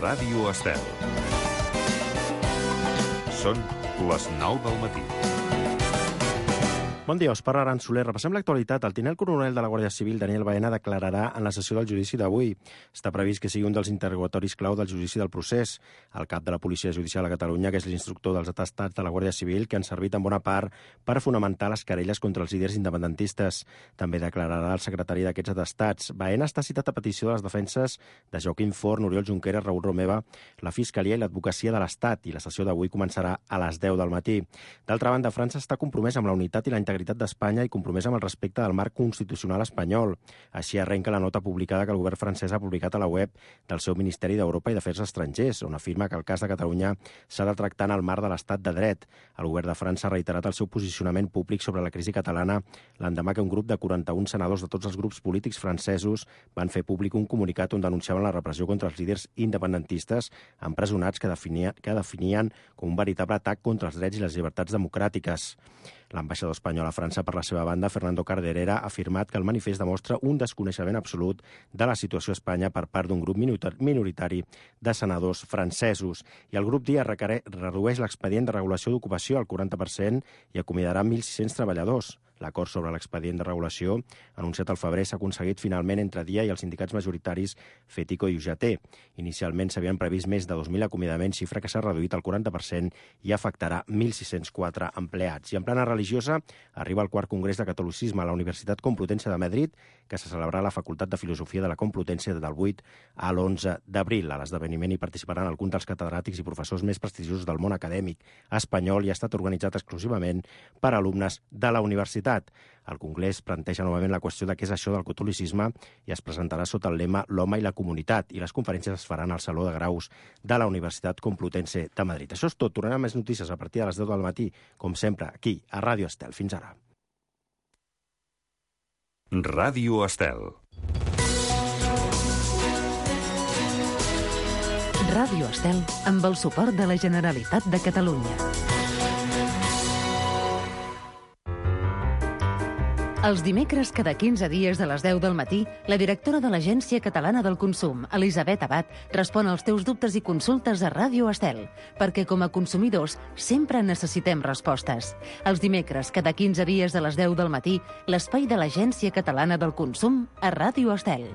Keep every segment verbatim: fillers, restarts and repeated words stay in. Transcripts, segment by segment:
Ràdio Estel. Són les nou del matí. Bon dia, Òscar Aran Soler. Repassem l'actualitat. El tinent coronel de la Guàrdia Civil, Daniel Baena, declararà en la sessió del judici d'avui. Està previst que sigui un dels interrogatoris clau del judici del procés. El cap de la Policia Judicial a Catalunya, que és l'instructor dels atestats de la Guàrdia Civil, que han servit en bona part per fonamentar les querelles contra els líders independentistes. També declararà el secretari d'aquests atestats. Baena està citat a petició de les defenses de Joaquim Forn, Oriol Junqueras, Raül Romeva, la Fiscalia i l'Advocacia de l'Estat, i la sessió d'avui començarà a les deu del matí. D'altra banda, França està compromesa amb la unitat i la integritat d'Espanya i compromesa amb el respecte del marc constitucional espanyol. Així arrenca la nota publicada que el govern francès ha publicat a la web del seu Ministeri d'Europa i d'Afers Estrangers, on afirma que el cas de Catalunya s'ha de tractar en el marc de l'estat de dret. El govern de França ha reiterat el seu posicionament públic sobre la crisi catalana l'endemà que un grup de quaranta-un senadors de tots els grups polítics francesos van fer públic un comunicat on denunciaven la repressió contra els líders independentistes empresonats que, definia, que definien com un veritable atac contra els drets i les llibertats democràtiques. L'ambaixador espanyol a França, per la seva banda, Fernando Carderera, ha afirmat que el manifest demostra un desconeixement absolut de la situació a Espanya per part d'un grup minoritari de senadors francesos. I el grup Dia redueix l'expedient de regulació d'ocupació al quaranta per cent i acomiadarà mil sis-cents treballadors. L'acord sobre l'expedient de regulació, anunciat al febrer, s'ha aconseguit finalment entre Dia i els sindicats majoritaris FETICO i U G T. Inicialment s'havien previst més de dos mil acomiadaments, xifra que s'ha reduït al quaranta per cent i afectarà mil sis-cents quatre empleats. I en plana religiosa arriba el quart congrés de catolicisme a la Universitat Complutense de Madrid, que se celebrarà a la Facultat de Filosofia de la Complutense del vuit a l'onze d'abril. A l'esdeveniment hi participaran alguns dels catedràtics i professors més prestigiosos del món acadèmic espanyol i ha estat organitzat exclusivament per alumnes de la universitat. El congrés planteja novament la qüestió de què és això del catolicisme i es presentarà sota el lema L'home i la comunitat, i les conferències es faran al Saló de Graus de la Universitat Complutense de Madrid. Això és tot. Tornarem a més notícies a partir de les deu del matí, com sempre, aquí, a Ràdio Estel. Fins ara. Ràdio Estel. Ràdio Estel, amb el suport de la Generalitat de Catalunya. Els dimecres, cada quinze dies de les deu del matí, la directora de l'Agència Catalana del Consum, Elisabet Abad, respon als teus dubtes i consultes a Ràdio Estel, perquè com a consumidors sempre necessitem respostes. Els dimecres, cada quinze dies de les deu del matí, l'espai de l'Agència Catalana del Consum a Ràdio Estel.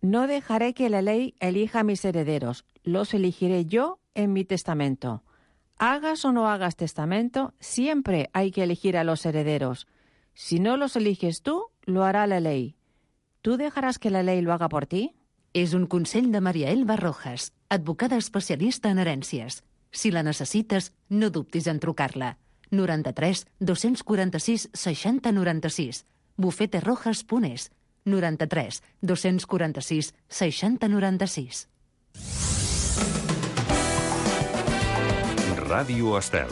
No dejaré que la ley elija a mis herederos. Los elegiré yo en mi testamento. Hagas o no hagas testamento, siempre hay que elegir a los herederos. Si no los eliges tú, lo hará la ley. ¿Tú dejarás que la ley lo haga por ti? És un consell de Maria Elba Rojas, advocada especialista en herències. Si la necessites, no dubtis en trucar-la. noranta-tres dos-cents quaranta-sis seixanta noranta-sis. bufeterojas punt es. noranta-tres dos-cents quaranta-sis seixanta noranta-sis. Ràdio Estel.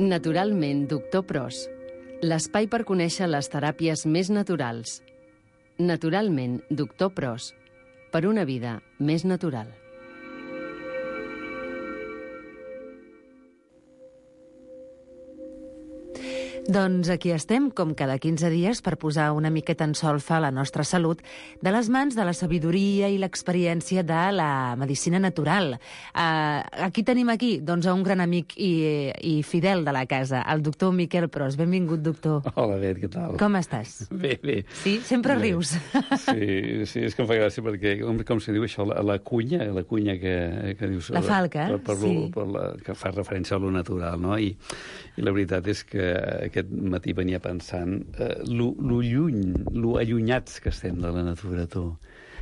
Naturalment, doctor Pros. L'espai per conèixer les teràpies més naturals. Naturalment, doctor Pros. Per una vida més natural. Doncs aquí estem, com cada quinze dies, per posar una miqueta en solfa la nostra salut de les mans de la sabidoria i l'experiència de la medicina natural. Uh, aquí tenim aquí doncs, a un gran amic i, i fidel de la casa, el doctor Miquel Pros. Benvingut, doctor. Hola, Bet, què tal? Com estàs? Bé, bé. Sí? Sempre bé. rius. Sí, sí, és que em fa gràcia perquè, com, com se diu això, la, la cunya, la cunya que, que dius... La falca, per, per sí. Lo, per la, que fa referència a lo natural, no? I, i la veritat és que aquest matí venia pensant eh, lo, lo lluny, lo allunyats que estem de la natura, tu.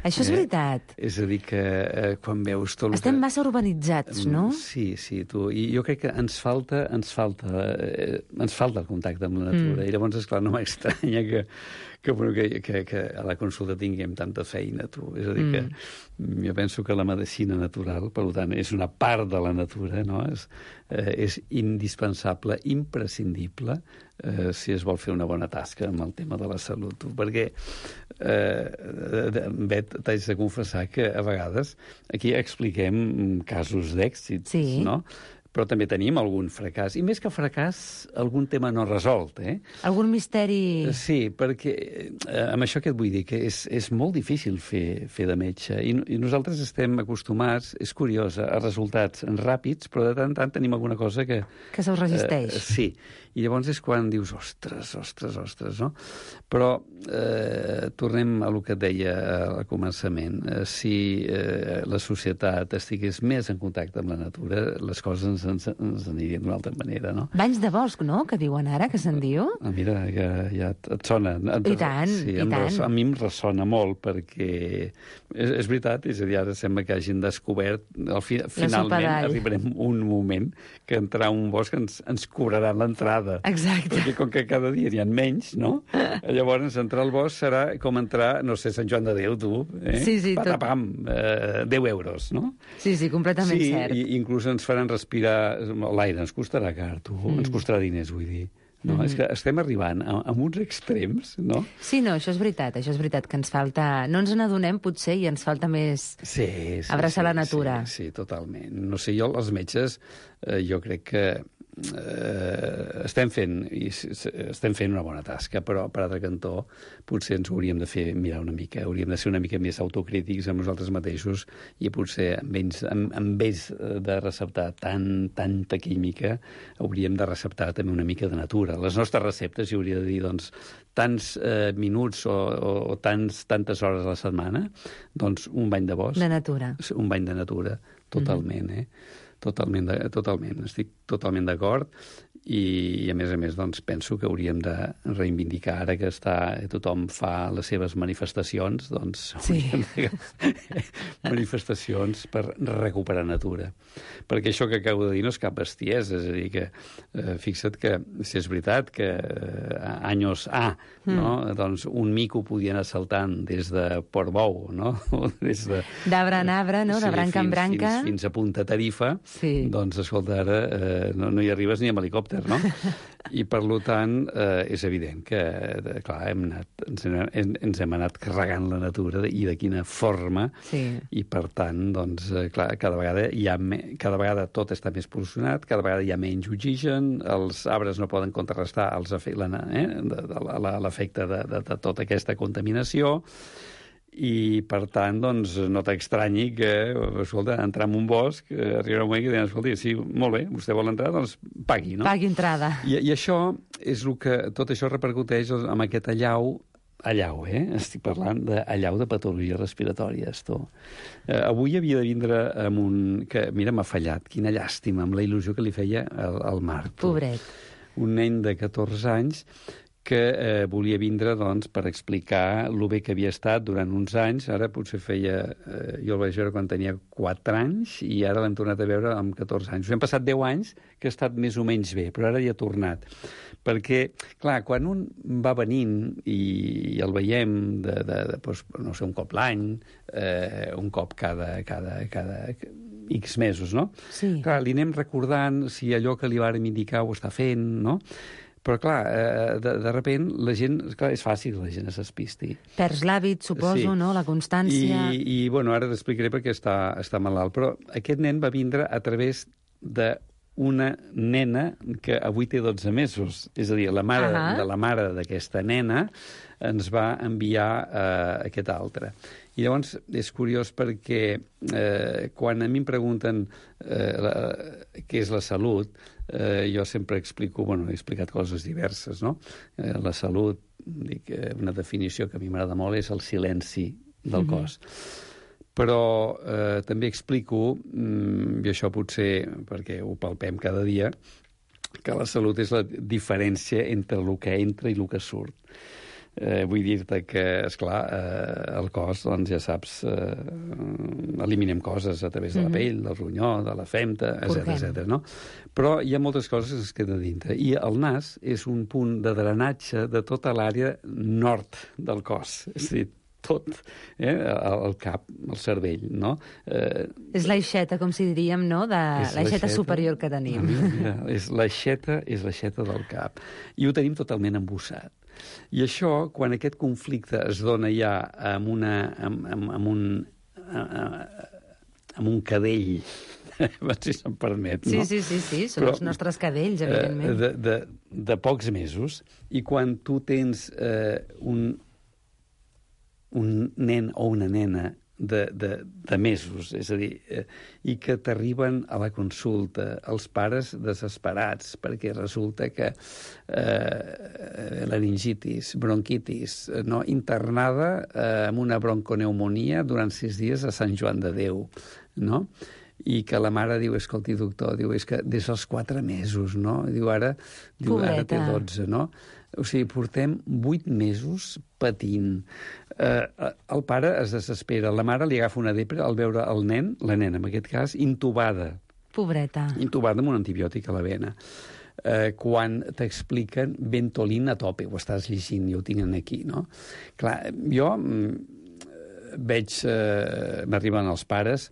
Això és eh? veritat. És a dir, que eh, quan veus tot... Estem que... massa urbanitzats, no? Sí, sí, tu. I jo crec que ens falta, ens falta, eh, ens falta el contacte amb la natura. Mm. I llavors, esclar, no m'estranya que, que, que, que, que a la consulta tinguem tanta feina, tu. És a dir, mm. que jo penso que la medicina natural, per tant, és una part de la natura, no? És, eh, és indispensable, imprescindible, eh, si es vol fer una bona tasca amb el tema de la salut. Tu. Perquè, eh, Bet, t'haig de confessar que a vegades aquí expliquem casos d'èxits, sí. no? Però també tenim algun fracàs. I més que fracàs, algun tema no resolt, eh? Algun misteri... Sí, perquè eh, amb això què et vull dir? Que és, és molt difícil fer, fer de metge. I, I nosaltres estem acostumats, és curiós, a resultats ràpids, però de tant en tant tenim alguna cosa que... Que se us resisteix. Eh, sí. I llavors és quan dius, ostres, ostres, ostres, no? Però eh, tornem a lo que et deia al començament. Eh, si eh, la societat estigués més en contacte amb la natura, les coses ens, ens, ens anirien d'una altra manera, no? Banys de bosc, no?, que diuen ara, que se'n diu. Ah, mira, ja, ja et sona. Et, I tant, sí, i tant. Res, a mi em ressona molt, perquè és, és veritat, és a dir, ara sembla que hagin descobert, al fi, finalment arribarem un moment que entrar a un bosc ens, ens cobrarà l'entrada. Exacte. Perquè com que cada dia n'hi ha menys, no? Llavors, entrar al bosc serà com entrar, no sé, Sant Joan de Déu, tu, eh? Sí, sí, tot. Patapam, eh, deu euros, no? Sí, sí, completament sí, cert. Sí, inclús ens faran respirar... L'aire ens costarà car, tu, mm. ens costarà diners, vull dir. No? Mm-hmm. És que estem arribant a, a uns extrems, no? Sí, no, això és veritat, això és veritat, que ens falta... No ens n'adonem, potser, i ens falta més sí, sí, abraçar sí, la natura. Sí, sí, totalment. No sé, jo, els metges, eh, jo crec que eh, estem fent i estem fent una bona tasca, però per altre cantó potser ens hauríem de fer mirar una mica, hauríem de ser una mica més autocrítics amb nosaltres mateixos i potser en vez, en, en vez de receptar tant, tanta química hauríem de receptar també una mica de natura. Les nostres receptes hi hauria de dir, doncs, tants eh, minuts o, o, o tants, tantes hores a la setmana, doncs un bany de bosc. De natura. Un bany de natura, totalment, mm-hmm. eh? Totalment, de, totalment. Estic totalment d'acord i, i, a més a més, doncs, penso que hauríem de reivindicar, ara que està, tothom fa les seves manifestacions, doncs, sí. de manifestacions per recuperar natura. Perquè això que acabo de dir no és cap bestiesa, és a dir, que eh, fixa't que, si és veritat, que eh, anys A, mm. no? doncs un mico podia anar saltant des de Portbou, no? Des de... D'arbre en arbre, no? De sí, branca fins, en branca. Fins, fins a Punta Tarifa, sí. doncs, escolta, ara eh, no, no hi arribes ni amb helicòpter, no? I, per tant, eh, és evident que, eh, clar, hem anat, ens, hem, ens hem anat carregant la natura i de quina forma, sí. i, per tant, doncs, eh, clar, cada vegada, hi ha me, cada vegada tot està més pol·lucionat, cada vegada hi ha menys oxigen, els arbres no poden contrarrestar els efe, la, eh, de, de, l'efecte de, de, de tota aquesta contaminació, i, per tant, doncs, no t'extranyi que, escolta, entrar en un bosc, eh, arribarà un moment que diuen, escolta, sí, molt bé, vostè vol entrar, doncs pagui, no? Pagui entrada. I, i això és el que, tot això repercuteix amb aquest allau, allau, eh? Estic parlant d'allau de patologies respiratòries, tu. Eh, avui havia de vindre amb un... que, mira, m'ha fallat, quina llàstima, amb la il·lusió que li feia al, al Marc. Tu. Pobret. Un nen de catorze anys que eh, volia vindre, doncs, per explicar el bé que havia estat durant uns anys. Ara potser feia... Eh, jo el vaig veure quan tenia quatre anys i ara l'hem tornat a veure amb catorze anys. Us hem passat deu anys que ha estat més o menys bé, però ara ja ha tornat. Perquè, clar, quan un va venint i, i el veiem de, de, de, doncs, no sé, un cop l'any, eh, un cop cada, cada, cada X mesos, no? Sí. Clar, li anem recordant si allò que li vàrem indicar ho està fent, no? Però, clar, eh, de, de repent, la gent... Clar, és fàcil que la gent s'espisti. Perds l'hàbit, suposo, sí. no? La constància... I, i bueno, ara t'explicaré perquè està, està malalt. Però aquest nen va vindre a través d'una nena que avui té dotze mesos. És a dir, la mare, uh-huh. de la mare d'aquesta nena ens va enviar eh, aquest altre. I llavors és curiós perquè eh, quan a mi em pregunten eh, la, què és la salut, eh, jo sempre explico, bueno, he explicat coses diverses, no? Eh, la salut, dic, una definició que a mi m'agrada molt, és el silenci del cos. Mm-hmm. Però eh, també explico, mm, i això potser perquè ho palpem cada dia, que la salut és la diferència entre el que entra i el que surt. Eh, vull dir-te que, esclar, eh, el cos, doncs ja saps, eh, eliminem coses a través de la pell, del ronyó, de la femta, etcètera, etcètera, no? Però hi ha moltes coses que es queden dintre. I el nas és un punt de drenatge de tota l'àrea nord del cos. És a dir, tot, eh? el, el cap, el cervell, no? Eh, és l'aixeta, com si diríem, no? De l'aixeta superior que tenim. Mira, mira, és l'aixeta, és l'aixeta del cap. I ho tenim totalment embussat. I això, quan aquest conflicte es dona ja amb, una, amb, amb, amb un... amb un cadell, si se'm permet, no? Sí, sí, sí, sí, són Però, els nostres cadells, evidentment. De, de, de pocs mesos, i quan tu tens eh, un un nen o una nena de, de, de mesos, és a dir, eh, i que t'arriben a la consulta, els pares desesperats, perquè resulta que eh, laringitis, bronquitis, no? Internada eh, amb una bronconeumonia durant sis dies a Sant Joan de Déu, no? I que la mare diu, escolti, doctor, diu, és que des dels quatre mesos, no? Diu, ara, diu, ara té dotze, no? O sigui, portem vuit mesos patint. Eh, el pare es desespera, la mare li agafa una depre al veure el nen, la nena en aquest cas, intubada. Pobreta. Intubada amb un antibiòtic a la vena. Eh, quan t'expliquen Ventolin a tope, ho estàs llegint, i ho tinc aquí, no? Clar, jo mm, veig, eh, m'arriben els pares,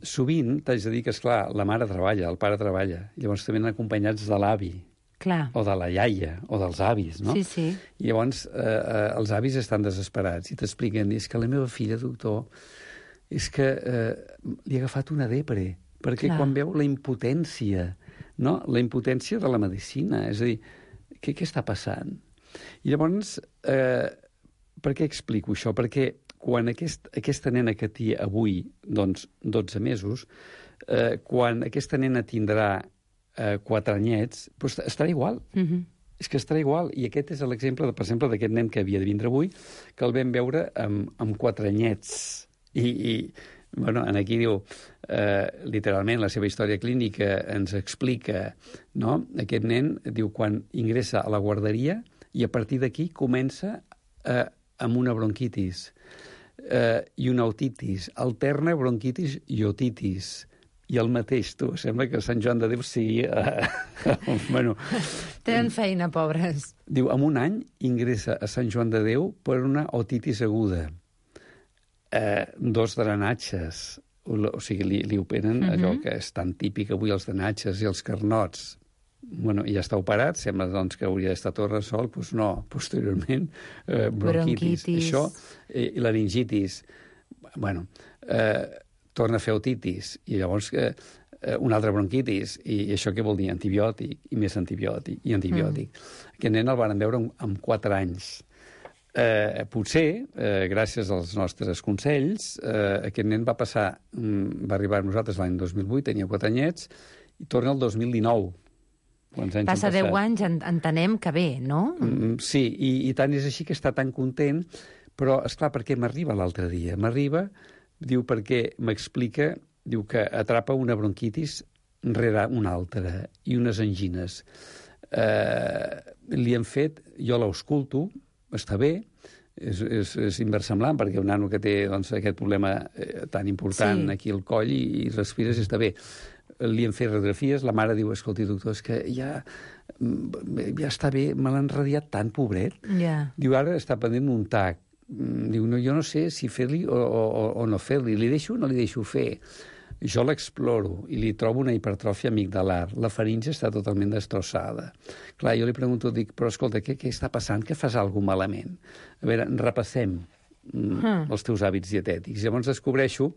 sovint t'haig de dir que, esclar, la mare treballa, el pare treballa, llavors també acompanyats de l'avi, Clar. o de la iaia, o dels avis, no? Sí, sí. I llavors eh, eh, els avis estan desesperats i t'expliquen, és que la meva filla, doctor, és que eh, li ha agafat una depre, perquè Clar. Quan veu la impotència, no? La impotència de la medicina, és a dir, què, què està passant? I llavors, eh, per què explico això? Perquè quan aquest, aquesta nena que té avui, doncs, dotze mesos, eh, quan aquesta nena tindrà eh, quatre anyets, doncs estarà igual. Mhm. És que estarà igual. I aquest és l'exemple, de, per exemple, d'aquest nen que havia de vindre avui, que el vam veure amb, amb quatre anyets. I, i bueno, aquí diu, eh, literalment, la seva història clínica ens explica, no? Aquest nen, diu, quan ingressa a la guarderia i a partir d'aquí comença eh, amb una bronquitis eh, i una otitis, alterna bronquitis i otitis. I el mateix, tu, sembla que Sant Joan de Déu sigui... Eh, bueno, Tenen feina, pobres. diu, en un any ingressa a Sant Joan de Déu per una otitis aguda. Eh, dos drenatges, o sigui, li, li operen uh-huh. allò que és tan típic avui, els drenatges i els carnots. Bueno, i ja està operat, sembla doncs, que hauria d'estar tot resolt, doncs no, posteriorment, eh, bronquitis. Bronquitis. Això, eh, i laringitis. Bueno, eh, torna a fer otitis, i llavors eh, una altra bronquitis, i això què vol dir? Antibiòtic, i més antibiòtic, i antibiòtic. Mm. Aquest nen el van veure amb, amb quatre anys. Eh, potser, eh, gràcies als nostres consells, eh, aquest nen va passar, mm, va arribar a nosaltres l'any dos mil vuit, tenia quatre anyets, i torna el dos mil dinou. Quants anys Passa deu anys, en, entenem que bé, no? Mm, sí, i, i tant és així que està tan content, però, esclar, per què m'arriba l'altre dia? M'arriba... Diu, perquè m'explica, diu que atrapa una bronquitis rere una altra i unes angines. Eh, li han fet, jo l'ausculto, està bé, és, és, és inversemblant, perquè un nano que té doncs, aquest problema eh, tan important sí. aquí al coll i, i respires, està bé. Li han fet radiografies, la mare diu, escolti, doctor, és que ja, ja està bé, me l'han radiat tant, pobret. Yeah. Diu, ara està pendent un tac. Diu, no, jo no sé si fer-li o, o, o no fer-li. Li deixo o no li deixo fer? Jo l'exploro i li trobo una hipertròfia amigdalar. La faringe està totalment destrossada. Clar, jo li pregunto, dic, però escolta, què, què està passant? Que fas alguna malament? A veure, repassem mm. els teus hàbits dietètics. Llavors descobreixo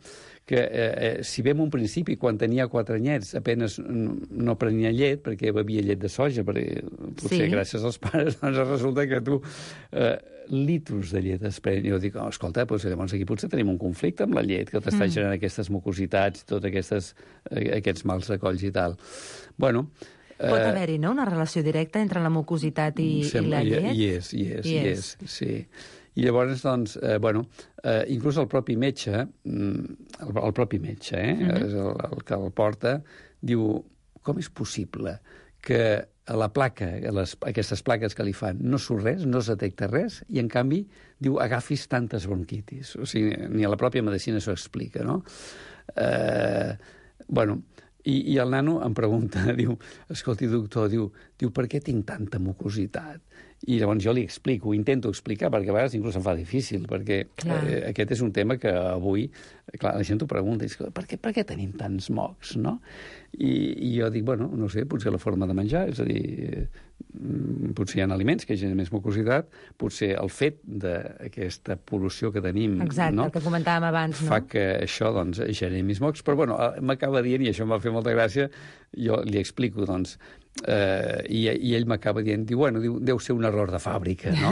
que eh, eh, si bé en un principi, quan tenia quatre anyets, apenes no, no prenia llet, perquè bevia llet de soja, perquè potser sí. gràcies als pares, doncs resulta que tu eh, litros de llet es pren. Jo dic, oh, escolta, doncs, llavors aquí potser tenim un conflicte amb la llet, que t'està mm. generant aquestes mucositats, tots aquestes, eh, aquests mals de colls i tal. Bueno, pot eh, haver-hi, no?, una relació directa entre la mucositat i, sembla, i la llet? Hi és, hi és, hi és, sí. I llavors, doncs, eh, bueno, eh, inclús el propi metge, el, el propi metge, eh, uh-huh. és el, el que el porta, diu, com és possible que a la placa, a les, aquestes plaques que li fan, no surt res, no es detecta res, i en canvi diu agafis tantes bronquitis. O sigui, ni a la pròpia medicina s'ho explica, no? Eh, bueno, i, i el nano em pregunta, diu, escolti, doctor, diu, diu, per què tinc tanta mucositat? I llavors jo li explico, ho intento explicar, perquè a vegades inclús em fa difícil, perquè eh, aquest és un tema que avui, clar, la gent t'ho pregunta, i dius, per què, per què tenim tants mocs, no? I, I jo dic, bueno, no sé, potser la forma de menjar, és a dir, eh, potser hi ha aliments que generen més mucositat, potser el fet d'aquesta pol·lució que tenim... Exacte, no? el que comentàvem abans, no? Fa que això, doncs, generi més mocs, però, bueno, m'acaba dient, i això em va fer molta gràcia, jo li explico, doncs, Uh, i, i ell m'acaba dient, diu, bueno, diu, deu ser un error de fàbrica, no?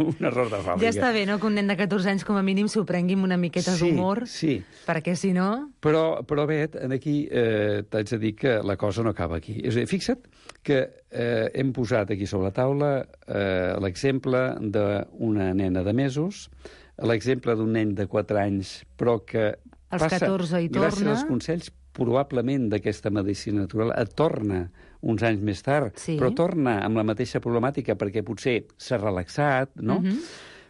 Un error de fàbrica. Ja està bé, no?, que un nen de catorze anys com a mínim s'ho prengui amb una miqueta sí, d'humor, sí. perquè si no... Però, però Bet, aquí eh, t'haig de dir que la cosa no acaba aquí. És a dir, fixa't que eh, hem posat aquí sobre la taula eh, l'exemple d'una nena de mesos, l'exemple d'un nen de quatre anys, però que als passa, catorze hi torna, gràcies als consells probablement d'aquesta medicina natural, et torna uns anys més tard, sí. però torna amb la mateixa problemàtica perquè potser s'ha relaxat, no? Uh -huh.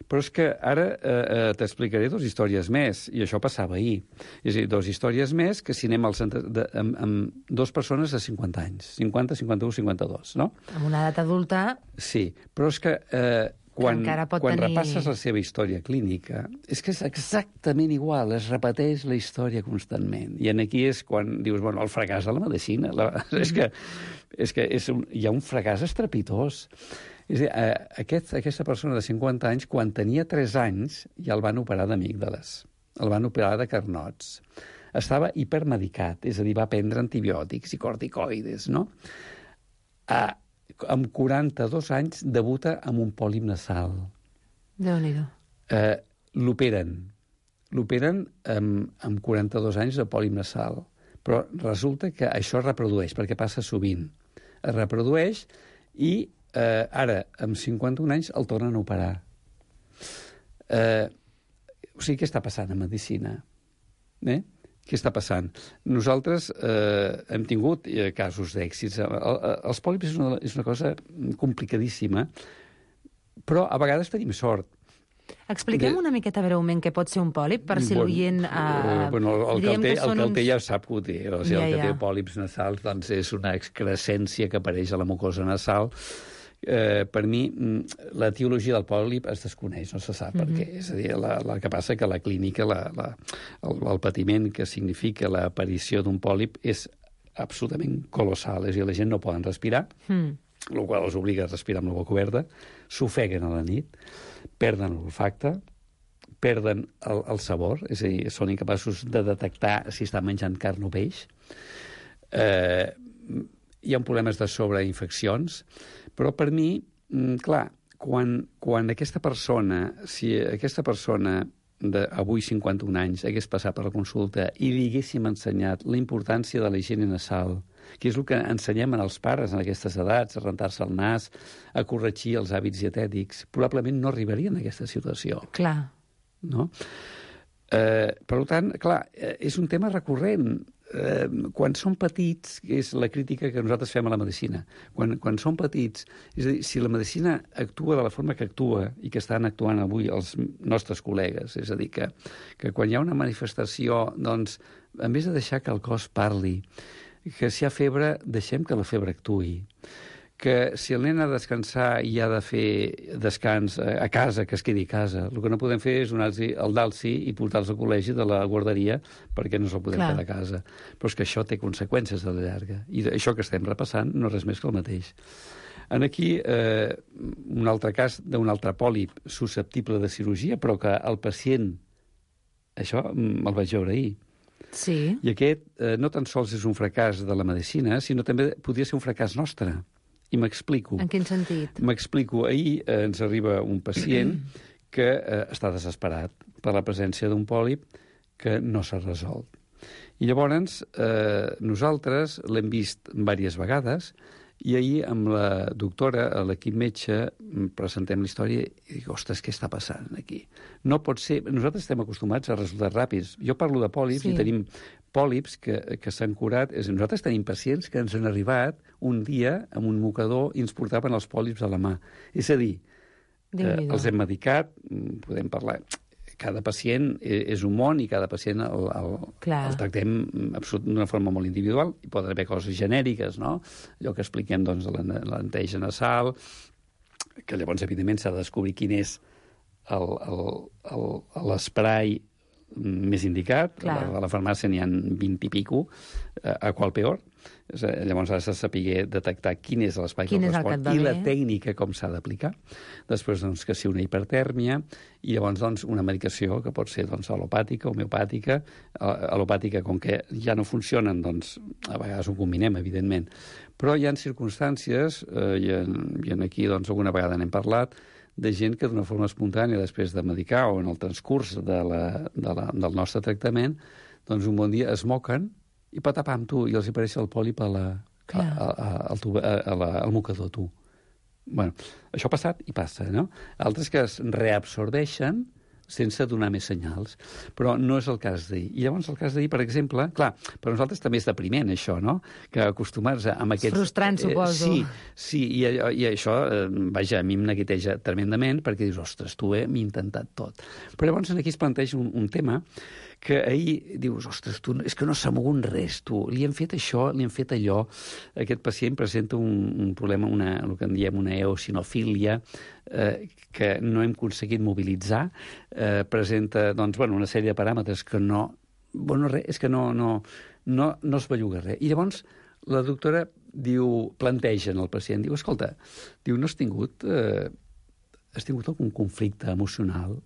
Però és que ara eh, t'explicaré dues històries més, i això passava ahir. És a dir, dues històries més que si anem al centre de, amb, amb dues persones de cinquanta anys, cinquanta, cinquanta-u, cinquanta-dos, no? Amb una edat adulta... Sí, però és que... Eh, Quan, quan tenir... repasses la seva història clínica, és que és exactament igual, es repeteix la història constantment. I aquí és quan dius, bueno, el fracàs de la medicina. La... Mm-hmm. És que, és que és un... hi ha un fracàs estrepitós. És a dir, aquest, aquesta persona de cinquanta anys, quan tenia tres anys, ja el van operar d'amígdales, el van operar de carnots. Estava hipermedicat, és a dir, va prendre antibiòtics i corticoides, no? Ah, amb quaranta-dos anys debuta amb un pòlip nasal. Déu-n'hi-do. Eh, l'operen. L'operen amb, amb quaranta-dos anys de pòlip nasal. Però resulta que això es reprodueix, perquè passa sovint. Es reprodueix i eh, ara, amb cinquanta-un anys, el tornen a operar. Eh, o sigui, què està passant a medicina? Eh? Què està passant? Nosaltres eh, hem tingut eh, casos d'èxits. El, el, els pòlips és una, és una cosa complicadíssima, però a vegades tenim sort. Expliquem de... una miqueta breument què pot ser un pòlip, per si bueno, l'oient... Eh, bueno, el, que el, té, el que el uns... té ja sap que ho té. O sigui, ja, el que ja. té pòlips nasals doncs, és una excrescència que apareix a la mucosa nasal. Eh, per mi, l'etiologia del pòlip es desconeix, no se sap mm-hmm. per què. És a dir, la, la que passa que la clínica, la, la, el, el patiment que significa l'aparició d'un pòlip és absolutament colossal. És a dir, la gent no poden respirar, mm. el qual els obliga a respirar amb la boca oberta, s'ofeguen a la nit, perden l'olfacte, perden el, el sabor, és a dir, són incapaços de detectar si estan menjant carn o peix. Eh, hi ha problemes de sobreinfeccions, però per mi, clar, quan, quan aquesta persona, si aquesta persona d'avui cinquanta-un anys hagués passat per la consulta i li haguéssim ensenyat la importància de la higiene nasal, que és el que ensenyem als pares en aquestes edats, a rentar-se el nas, a corregir els hàbits dietètics, probablement no arribarien a aquesta situació. Clar. No? Eh, per tant, clar, és un tema recurrent. Eh, quan són petits, és la crítica que nosaltres fem a la medicina, quan, quan són petits, és a dir, si la medicina actua de la forma que actua i que estan actuant avui els nostres col·legues, és a dir, que, que quan hi ha una manifestació, doncs, en vez de deixar que el cos parli, que si hi ha febre, deixem que la febre actuï, que si el nen ha de descansar i ha de fer descans a casa, que es quedi a casa. El que no podem fer és donar-los el dalsi i portar-los al col·legi de la guarderia perquè no se'l podem quedar a casa. Però és que això té conseqüències a la llarga. I això que estem repassant no és res més que el mateix. En aquí, eh, un altre cas d'un altre pòlip susceptible de cirurgia, però que el pacient, això el vaig veure ahir. Sí. I aquest eh, no tan sols és un fracàs de la medicina, sinó també podria ser un fracàs nostre. I m'explico. En quin sentit? M'explico. Ahir eh, ens arriba un pacient que eh, està desesperat per la presència d'un pòlip que no s'ha resolt. I llavors eh, nosaltres l'hem vist diverses vegades i ahir amb la doctora, a l'equip metge, presentem la història i dic, ostres, què està passant aquí? No pot ser... Nosaltres estem acostumats a resultats ràpids. Jo parlo de pòlips sí. i tenim pòlips que, que s'han curat. És, nosaltres tenim pacients que ens han arribat un dia amb un mocador i ens portaven els pòlips a la mà. És a dir, eh, els hem medicat, podem parlar... Cada pacient és un món i cada pacient el, el, el tractem d'una forma molt individual. Hi poden haver coses genèriques, no? Allò que expliquem, doncs, de la, la neteja nasal, que llavors, evidentment, s'ha de descobrir quin és l'esprai més indicat. A la, a la farmàcia n'hi ha vint i pico, a qual peor. Llavors has de saber detectar quin és l'espai que correspon i la tècnica com s'ha d'aplicar. Després, doncs, que si una hipertèrmia, i llavors, doncs, una medicació que pot ser, doncs, alopàtica, homeopàtica. Alopàtica, com que ja no funcionen, doncs, a vegades ho combinem, evidentment. Però hi ha circumstàncies, eh, i, en, i en aquí, doncs, alguna vegada n'hem parlat, de gent que d'una forma espontània, després de medicar o en el transcurs de la, de la, del nostre tractament, doncs, un bon dia es moquen i patapam, tu, i els apareix el pòlip a la, a, a, a, a, a la, al mocador, tu. Bueno, això ha passat i passa, no? Altres que es reabsorbeixen sense donar més senyals. Però no és el cas d'ahir. I llavors el cas d'ahir, per exemple, clar, per nosaltres també és depriment, això, no? Que acostumar-se amb aquests... Frustrant, suposo. Eh, sí, sí, i, i això, eh, vaja, a mi em neguiteja tremendament, perquè dius, ostres, tu eh, m'he intentat tot. Però llavors aquí es planteja un, un tema que ahir dius, ostres, tu, és que no s'ha mogut res, tu. Li hem fet això, li hem fet allò. Aquest pacient presenta un, un problema, una, el que en diem una eosinofília, eh, que no hem aconseguit mobilitzar. Eh, presenta, doncs, bueno, una sèrie de paràmetres que no... Bueno, res, és que no, no, no, no es belluga res. I llavors la doctora diu, planteja en el pacient, diu, escolta, diu, no has tingut, eh, has tingut algun conflicte emocional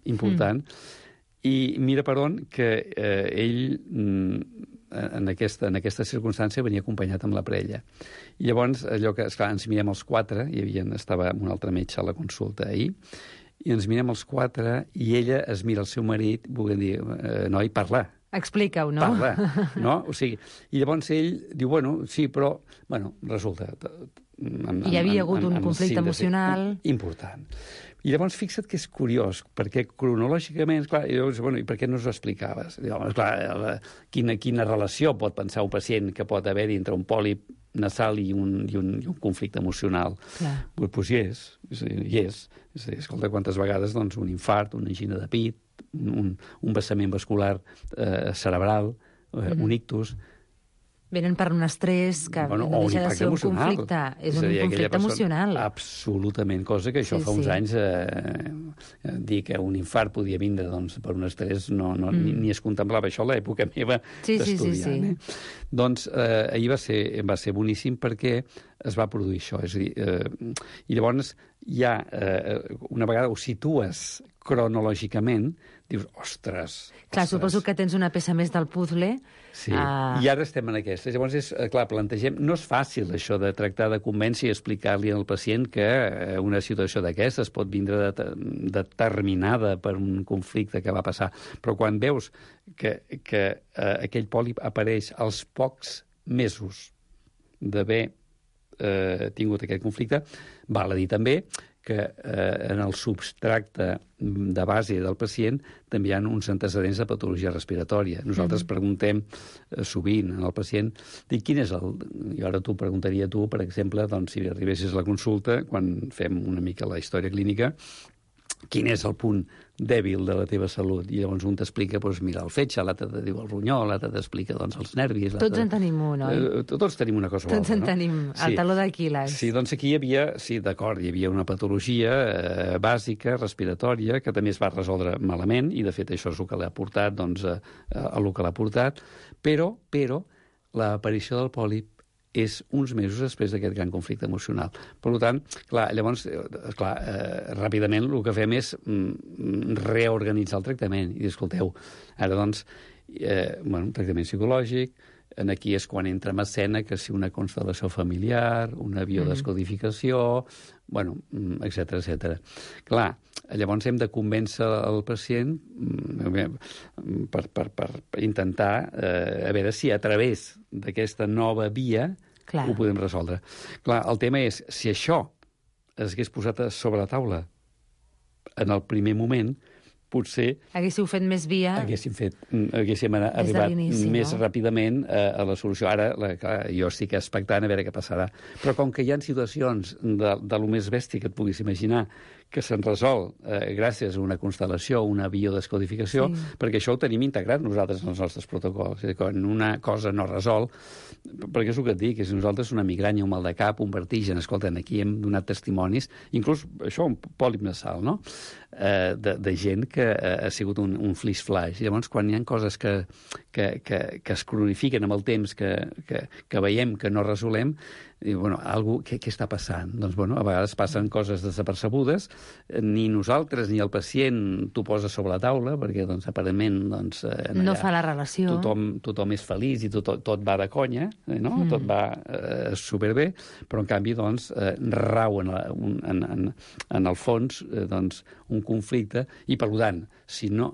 important? Mm. I mira per on que eh, ell, en aquesta, en aquesta circumstància, venia acompanyat amb la parella. I llavors, allò que, esclar, ens mirem els quatre, hi havia, estava un altre metge a la consulta ahir, i ens mirem els quatre, i ella es mira el seu marit, volent dir, eh, noi, parla. Explica-ho, no? Parla, no? O sigui, i llavors ell diu, bueno, sí, però, bueno, resulta... En, Hi havia hagut en, un en conflicte síntesi, emocional... Important. I llavors fixa't que és curiós, perquè cronològicament, clar, i llavors, bueno, i per què no us ho explicaves? I llavors, clar, la, quina, quina relació pot pensar un pacient que pot haver-hi entre un pòlip nasal i un, i un, i un conflicte emocional? Clar. Pues, pues hi és, hi és. És a dir, escolta, quantes vegades, doncs, un infart, una angina de pit, un, un vessament vascular eh, cerebral, eh, mm-hmm. un ictus... Venen per un estrès que bueno, no deixa de ser un emocional. conflicte. És, és un dir, conflicte emocional. Absolutament, cosa que això sí, fa uns sí. anys eh, dir que un infart podia vindre doncs, per un estrès no, no, mm. ni, ni es contemplava això a l'època meva sí, d'estudiant. Sí, sí, sí. Eh? Doncs eh, ahir va ser, va ser boníssim perquè es va produir això. És a dir, eh, i llavors ja eh, una vegada ho situes cronològicament, dius, ostres... Clar, ostres. suposo que tens una peça més del puzzle. Sí, uh... i ara estem en aquesta. Llavors, és, clar, plantegem... No és fàcil, això, de tractar de convèncer i explicar-li al pacient que una situació d'aquestes pot vindre de, determinada per un conflicte que va passar. Però quan veus que, que uh, aquell pòlip apareix als pocs mesos d'haver eh, tingut aquest conflicte, val a dir també que eh, en el substracte de base del pacient també hi ha uns antecedents de patologia respiratòria. Nosaltres mm-hmm. preguntem eh, sovint al pacient, dic, quin és el... I ara t'ho preguntaria tu, per exemple, doncs, si arribessis a la consulta, quan fem una mica la història clínica, quin és el punt dèbil de la teva salut? I llavors un t'explica, doncs, mira, el fetge, l'altre te diu el ronyó, l'altre t'explica, doncs, els nervis... Tots en tenim un, oi? Eh, tots tenim una cosa o altra, no? Tots en tenim, el sí. taló d'Aquil·les. Sí, doncs aquí hi havia, sí, d'acord, hi havia una patologia eh, bàsica, respiratòria, que també es va resoldre malament, i de fet això és el que l'ha portat, doncs, a, a, a el que l'ha portat, però, però, l'aparició del pòlip és uns mesos després d'aquest gran conflicte emocional. Per tant, clar, llavors, clar, eh, ràpidament el que fem és mm, reorganitzar el tractament. I dir, escolteu, ara doncs, eh, bueno, un tractament psicològic, en aquí és quan entra en escena que si una constel·lació familiar, una biodescodificació, mm. bueno, etcètera, etcètera. Clar, llavors hem de convèncer el pacient per, per, per intentar eh, a veure si a través d'aquesta nova via Clar. Ho podem resoldre. Clar, el tema és, si això es hagués posat sobre la taula en el primer moment, potser haguéssiu fet més via... Haguéssim, fet, haguéssim arribat més no? ràpidament a, a la solució. Ara, la, clar, jo estic expectant a veure què passarà. Però com que hi ha situacions de, de lo més bèstia que et puguis imaginar que se'n resol eh, gràcies a una constel·lació, una biodescodificació, sí. perquè això ho tenim integrat nosaltres en els nostres protocols. És a dir, quan una cosa no resol, perquè és el que et dic, és nosaltres una migranya, un mal de cap, un vertigen, escolten, aquí hem donat testimonis, inclús això, un pòlip nasal, no?, eh, de, de gent que eh, ha sigut un, un flash. I llavors, quan hi ha coses que, que, que, que es cronifiquen amb el temps, que, que, que veiem que no resolem, i, bueno, algú, què, què està passant? Doncs, bueno, a vegades passen coses desapercebudes, ni nosaltres ni el pacient t'ho posa sobre la taula, perquè, doncs, aparentment, doncs... No allà, fa la relació. Tothom, tothom és feliç i tot, tot va de conya, no? Mm. Tot va eh, superbé, però, en canvi, doncs, eh, rau en, la, un, en, en, en el fons, eh, doncs, un conflicte, i, per tant, si no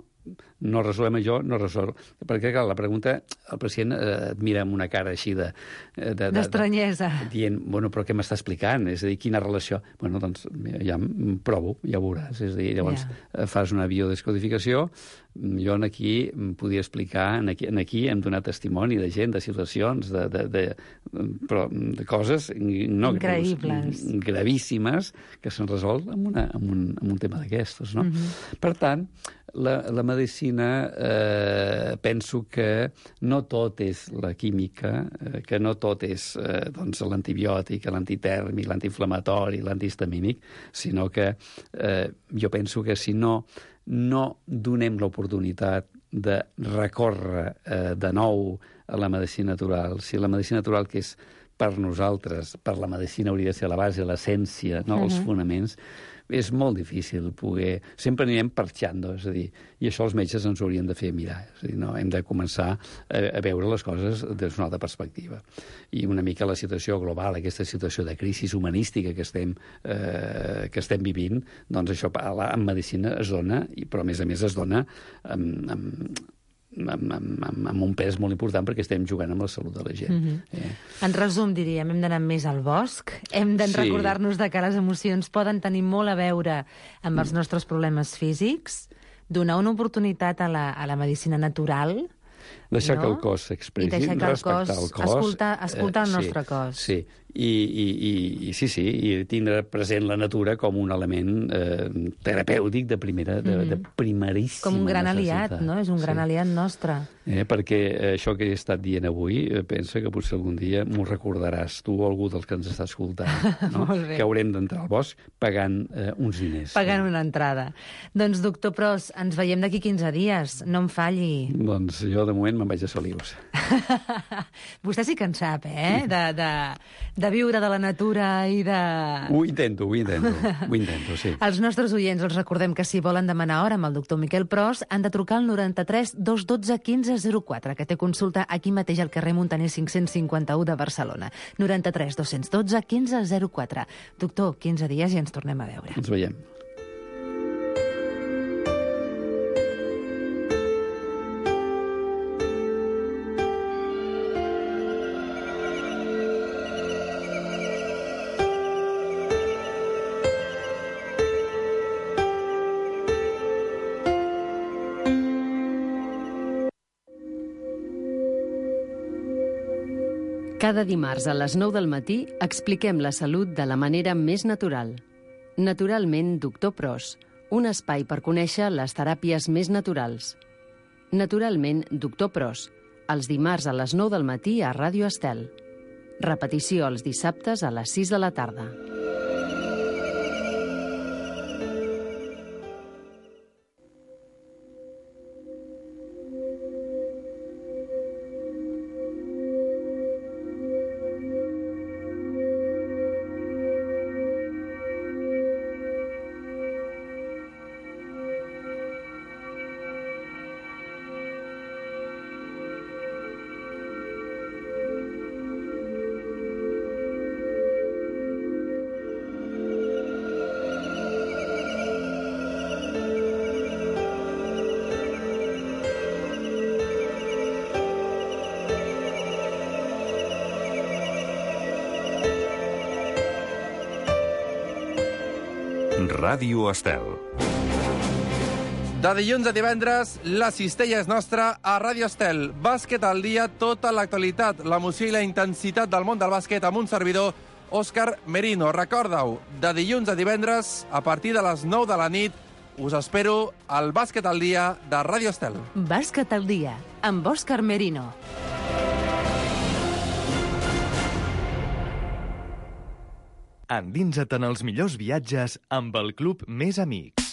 no resolem això, no resol. Perquè, clar, la pregunta, el pacient eh, et mira amb una cara així de... D'estranyesa. De, de, dient, bueno, però què m'està explicant? És a dir, quina relació? Bueno, doncs, ja em provo, ja ho veuràs. És a dir, llavors yeah. fas una biodescodificació. Jo aquí em podia explicar, en aquí, en aquí hem donat testimoni de gent, de situacions, de, de, de, però, de coses no increïbles, greus, gravíssimes, que s'han resolt amb, una, amb, un, amb un tema d'aquestos, no? Mm-hmm. Per tant, la, la medicina, eh, penso que no tot és la química, eh, que no tot és eh, doncs, l'antibiòtic, l'antitèrmic, l'antiinflamatori, l'antihistamínic, sinó que eh, jo penso que si no, no donem l'oportunitat de recórrer eh, de nou a la medicina natural, si la medicina natural, que és per nosaltres, per la medicina hauria de ser la base, l'essència, no? Uh-huh. Els fonaments, és molt difícil poder... Sempre anirem parxando, és a dir, i això els metges ens ho haurien de fer mirar. És a dir, no? Hem de començar a, a veure les coses des d'una altra perspectiva. I una mica la situació global, aquesta situació de crisi humanística que estem, eh, que estem vivint, doncs això en medicina es dona, però a més a més es dona amb... amb Amb, amb, amb un pes molt important perquè estem jugant amb la salut de la gent. Mm-hmm. eh? En resum, diríem, hem d'anar més al bosc, hem de sí. recordar-nos de que les emocions poden tenir molt a veure amb els nostres problemes físics, donar una oportunitat a la, a la medicina natural... Deixar no? que el cos s'expressi, respectar el cos... Escoltar, escoltar el eh, nostre sí, cos. Sí, I, i, i, i sí, sí, i tindre present la natura com un element eh, terapèutic de primera, de, mm-hmm. de primeríssima com un gran necessitat. aliat, no? És un gran sí. aliat nostre. Eh, perquè això que he estat dient avui, eh, pensa que potser algun dia m'ho recordaràs, tu o algú dels que ens està escoltant, no? Que haurem d'entrar al bosc pagant eh, uns diners. Pagant no? una entrada. Doncs, doctor Pros, ens veiem d'aquí quinze dies, no em falli. Doncs jo, de moment, me'n vaig a Solius. Vostè sí que en sap, eh? De, de, de viure de la natura i de... Ho intento, ho intento, ho intento, sí. Els nostres oients els recordem que si volen demanar hora amb el doctor Miquel Pros han de trucar al noranta-tres dos dotze quinze zero quatre, que té consulta aquí mateix al carrer Muntaner cinc-cents cinquanta-u de Barcelona. noranta-tres dos dotze quinze zero quatre. Doctor, quinze dies i ens tornem a veure. Ens veiem. Cada dimarts a les nou del matí expliquem la salut de la manera més natural. Naturalment, doctor Pros, un espai per conèixer les teràpies més naturals. Naturalment, doctor Pros, els dimarts a les nou del matí a Ràdio Estel. Repetició els dissabtes a les sis de la tarda. Ràdio Estel. De dilluns a divendres, la cistella és nostra a Ràdio Estel. Bàsquet al dia, tota l'actualitat, l'emoció i la intensitat del món del bàsquet amb un servidor, Òscar Merino. Recorda-ho, de dilluns a divendres, a partir de les nou de la nit, us espero al Bàsquet al dia de Ràdio Estel. Bàsquet al dia, amb Òscar Merino. Endinsa't en els millors viatges amb el Club Més Amics.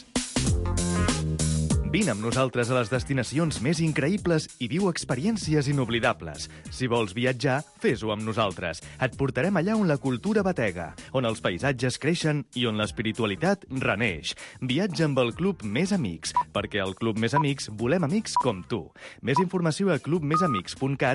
Vine amb nosaltres a les destinacions més increïbles i viu experiències inoblidables. Si vols viatjar, fes-ho amb nosaltres. Et portarem allà on la cultura batega, on els paisatges creixen i on l'espiritualitat reneix. Viatja amb el Club Més Amics, perquè al Club Més Amics volem amics com tu. Més informació a club més amics punt cat